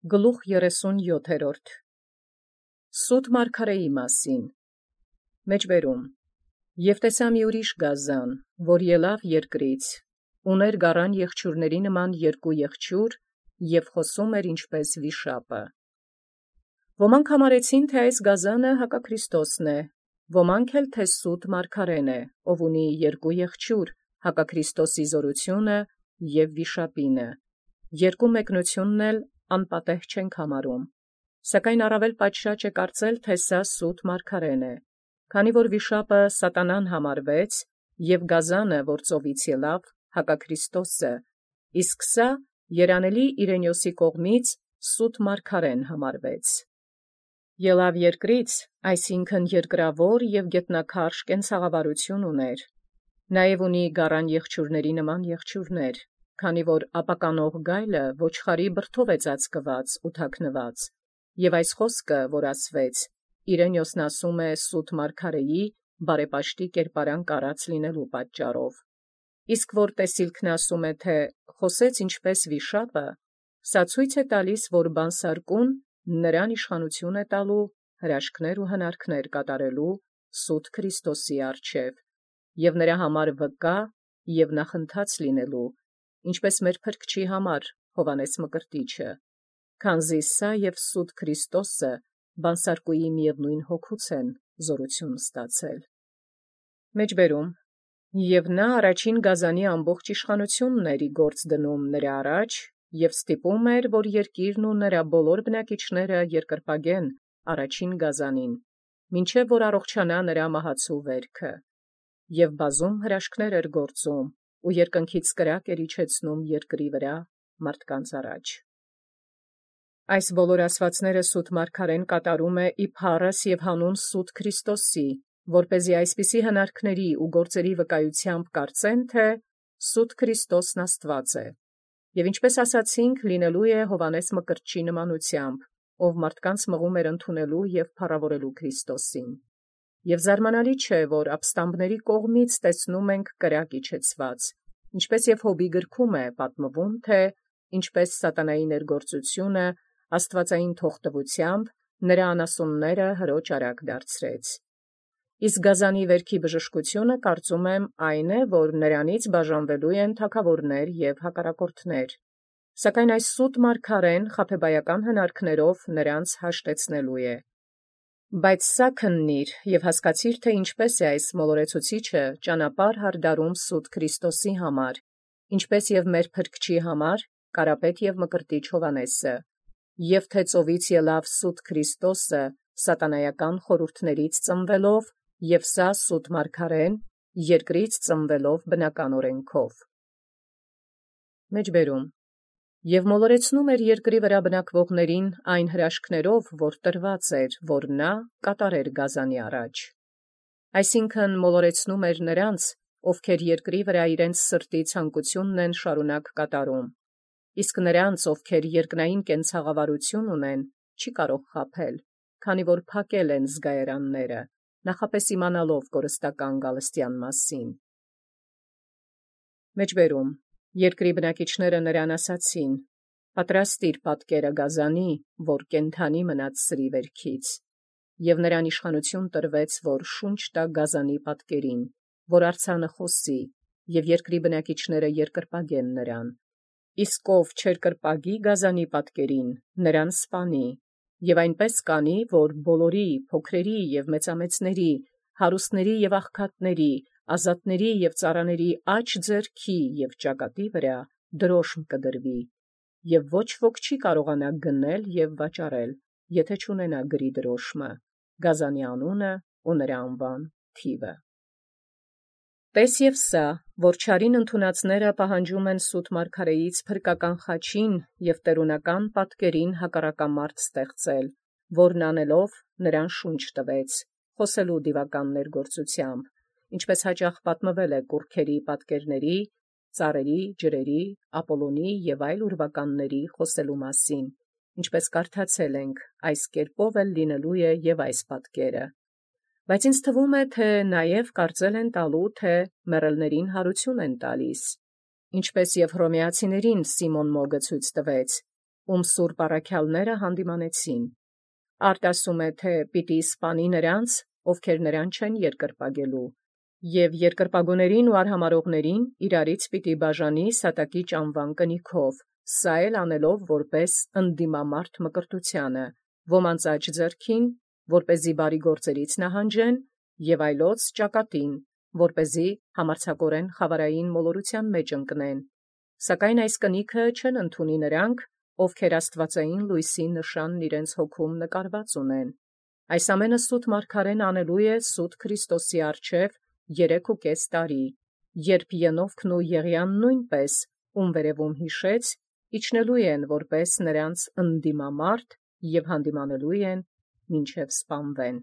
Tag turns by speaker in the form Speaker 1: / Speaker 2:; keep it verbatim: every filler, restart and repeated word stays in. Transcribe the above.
Speaker 1: Գլուխ երեսունյոթերորդ Սուտ մարգարեի մասին Մեջբերում Եվ տեսա մի ուրիշ գազան, որ ելավ երկրից, ուներ գառան եղջյուրների նման երկու եղջյուր, և խոսում էր ինչպես վիշապը։ Ոմանք համարեցին, թե այս գազանը հակաքրիստոսն է, ոմանք էլ թե սուտ մարգարեն է, ով ունի երկու եղջյուր, հակաքրիստոսի զորությունը և վիշապինը, երկու մեկնությունն էլ անպատեհ չենք համարում, սակայն առավել պատշաճ է կարծել, թե սա սուտ մարգարեն է, քանի որ վիշապը սատանան համարվեց, և գազանը, որ ծովից ելավ, հակաքրիստոսը, իսկ սա երանելի Իրենիոսի կողմից սուտ մարգարեն համարվեց։ Ելավ երկրից, այսինքն երկրավոր և գետնաքարշ կենցաղավարություն ուներ, նաև ունի գառան եղջյուրների նման եղջյուրներ, քանի որ ապականող գայլը ոչխարի բրդով է ծածկված ու թաքնված, և այս խոսքը, որ ասվեց, Իրենիոսն ասում է սուտ մարգարեի բարեպաշտի կերպարանք առած լինելու պատճառով, իսկ որ տեսիլքն ասում է, թե խոսեց ինչպես վիշապը, սա ցույց է տալիս, որ բանսարկուն նրան իշխանություն է տալու հրաշքներ ու հնարքներ կատարելու սուտ Քրիստոսի առջև, և նրա համար վկա և նախընթաց լինելու, ինչպես մեր փրկչի համար Հովհաննես Մկրտիչը, քանզի սա և սուտ Քրիստոսը բանսարկուի միևնույն հոգուց են զորություն ստացել։ Մեջբերում Եւ նա առաջին գազանի ամբողջ իշխանությունն էր ի գործ դնում նրա առաջ, և ստիպում էր, որ երկիրն ու նրա բոլոր բնակիչները երկրպագեն առաջին գազանին, մինչև որ առողջանա նրա մահացու վերքը, և բազում հրաշքներ էր գործում, ու երկնքից կրակ էր իջեցնում երկրի վրա մարդկանց առաջ։ Այս բոլոր ասվածները սուտ մարգարեն կատարում է ի փառս և հանուն սուտ Քրիստոսի, որպեսզի այսպիսի հնարքների ու գործերի վկայությամբ կարծեն, թե սուտ Քրիստոսն Աստուած է, և ինչպես ասացինք, լինելու է Հովհաննես Մկրտչի նմանությամբ, ով մարդկանց մղում էր ընդունելու և փառավորելու Քրիստոսին։ Եվ զարմանալի չէ, որ ապստամբների կողմից տեսնում ենք կրակ իջեցված, ինչպես և Հոբի գրքում է պատմվում, թե ինչպես սատանայի ներգործությունը աստվածային թողտվությամբ նրա անասունները հրոջ արագ դարձրեց։ Իսկ գազանի վերքի բժշկությունը կարծում եմ այն է, որ նրանից բաժանվելու են թագավորներ և հակառակորդներ, սակայն այս սուտ մարգարեն խաբեբայական հնարքներով նրանց հաշտեցնելու է։ Բայց սա քննիր և հասկացիր, թե ինչպես է այս մոլորեցուցիչը ճանապարհ հարդարում սուտ Քրիստոսի համար, ինչպես և մեր փրկչի համար Կարապետ և Մկրտիչ Հովհաննեսը, և թե ծովից ելավ սուտ Քրիստոսը սատանայական խորհուրդներից ծնվելով, և սա սուտ մարգարեն երկրից ծնվելով բնական օրենքով։ Մեջբերում Եւ մոլորեցնում էր երկրի վրա բնակվողներին այն հրաշքներով, որ տրված էր, որ նա կատարեր գազանի առաջ։ Այսինքն մոլորեցնում էր նրանց, ովքեր երկրի վրա իրենց սրտի ցանկությունն են շարունակ կատարում, իսկ նրանց, ովքեր երկնային կենցաղավարություն ունեն, չի կարող խաբել, քանի որ փակել են զգայարանները, նախապես իմանալով կորստական գալստյան մասին։ Մեջբերում Երկրի բնակիչները նրան ասացին. «Պատրաստիր պատկերը գազանի, որ կենդանի մնաց սրի վերքից», և նրան իշխանություն տրվեց, որ շունչ տա գազանի պատկերին, որ արձանը խոսի, և երկրի բնակիչները երկրպագեն նրան։ Իսկ ով չերկրպագի գազանի պատկերին, նրան սպանի, և այնպես կանի, որ բոլորի, փոքրերի և մեծամեծների, հարուստների և աղքատների, ազատների և ծառաների աջ ձեռքի և ճակատի վրա դրոշմ կդրվի, և ոչ ոք չի կարողանա գնել և վաճառել, եթե չունենա գրի դրոշմը, գազանի անունը ու նրա անվան թիվը։ Տես և սա, որ չարին ընդունածները պահանջում են սուտ մարգարեից փրկական խաչին և տերունական պատկերին հակառակամարտ ստեղծել, որն անելով նրան շունչ տվեց, խոսելու դիվական ներգործությամբ, ինչպես հաճախ պատմվել է կուռքերի պատկերների, ծառերի, ջրերի, Ապոլոնի և այլ ուրվականների խոսելու մասին, ինչպես կարդացել ենք, այս կերպով էլ լինելու է և այս պատկերը։ Բայց ինձ թվում է, թե նաև կարծել են տալու, թե մեռելներին հարություն են տալիս, ինչպես և հռոմեացիներին Սիմոն Մոգը ցույց տվեց, ում սուրբ առաքյալները հանդիմանեցին։ Արդ ասում է, թե պիտի սպանի նրանց, ովքեր նրան չեն երկրպագելու, և երկրպագուներին ու արհամարողներին իրարից պիտի բաժանի սատակիչ անվան կնիքով, սա էլ անելով որպես ընդդիմամարտ մկրտությանը, ոմանց աջ ձեռքին, որպեսզի բարի գործերից նահանջեն, և այլոց ճակատին, որպեսզի համարձակորեն խավարային մոլորության մեջ ընկնեն։ Սակայն այս կնիքը չեն ընդունի նրանք, ովքեր աստվածային լույսի նշանն իրենց հոգում նկարված ունեն։ Այս ամենը սուտ մարգարեն անելու է սուտ Քրիստոսի առջև երեքուկես տարի, երբ Ենովքն ու Եղիան նույնպես, ում վերևում յիշեց, իջնելու են որպես նրանց ընդդիմամարտ և հանդիմանելու են մինչև սպանվեն։